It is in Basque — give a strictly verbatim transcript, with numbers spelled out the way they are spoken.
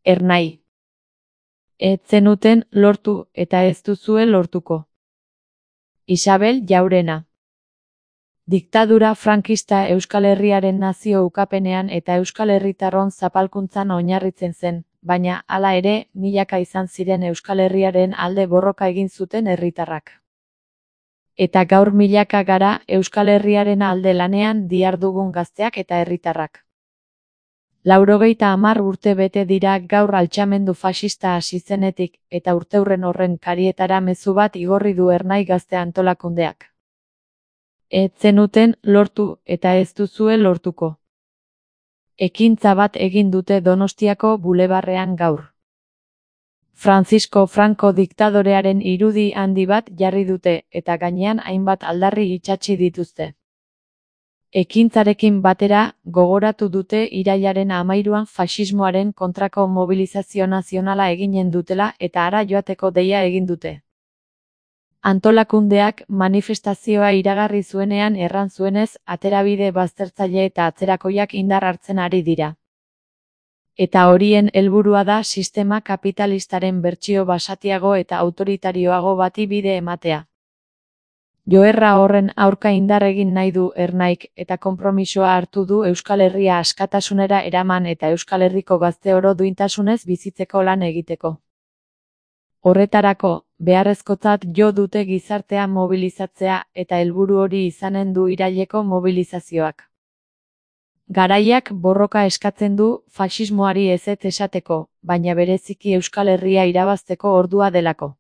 Ernai. Ez zenuten lortu eta ez duzue lortuko. Isabel Jaurena. Diktadura frankista Euskal Herriaren nazio ukapenean eta Euskal Herritarron zapalkuntzan oinarritzen zen, baina hala ere, milaka izan ziren Euskal Herriaren alde borroka egin zuten herritarrak. Eta gaur milaka gara Euskal Herriaren alde lanean dihardugun gazteak eta herritarrak. Laurogeita hamar urte bete dira gaur altxamendu faxista hasi zenetik, eta urteurren horren karietara mezu bat igorri du Ernai Gazte Antolakundeak. Ez zenuten lortu eta ez duzue lortuko. Ekintza bat egin dute Donostiako bulebarrean gaur. Francisco Franco diktadorearen irudi handi bat jarri dute eta gainean hainbat aldarri itsatsi dituzte. Ekintzarekin batera, gogoratu dute irailaren hamairuan faxismoaren kontrako mobilizazio nazionala eginen dutela eta hara joateko deia egin dute. Antolakundeak manifestazioa iragarri zuenean erran zuenez, aterabide baztertzaile eta atzerakoiak indar hartzen ari dira. Eta horien helburua da sistema kapitalistaren bertsio basatiago eta autoritarioago bati bide ematea. Joerra horren aurka indar egin nahi du Ernaik eta konpromisoa hartu du Euskal Herria askatasunera eraman eta Euskal Herriko gazte oro duintasunez bizitzeko lan egiteko. Horretarako, beharrezkotzat jo dute gizartea mobilizatzea eta helburu hori izanen du iraileko mobilizazioak. Garaiak borroka eskatzen du faxismoari ezetz esateko, baina bereziki Euskal Herria irabazteko ordua delako.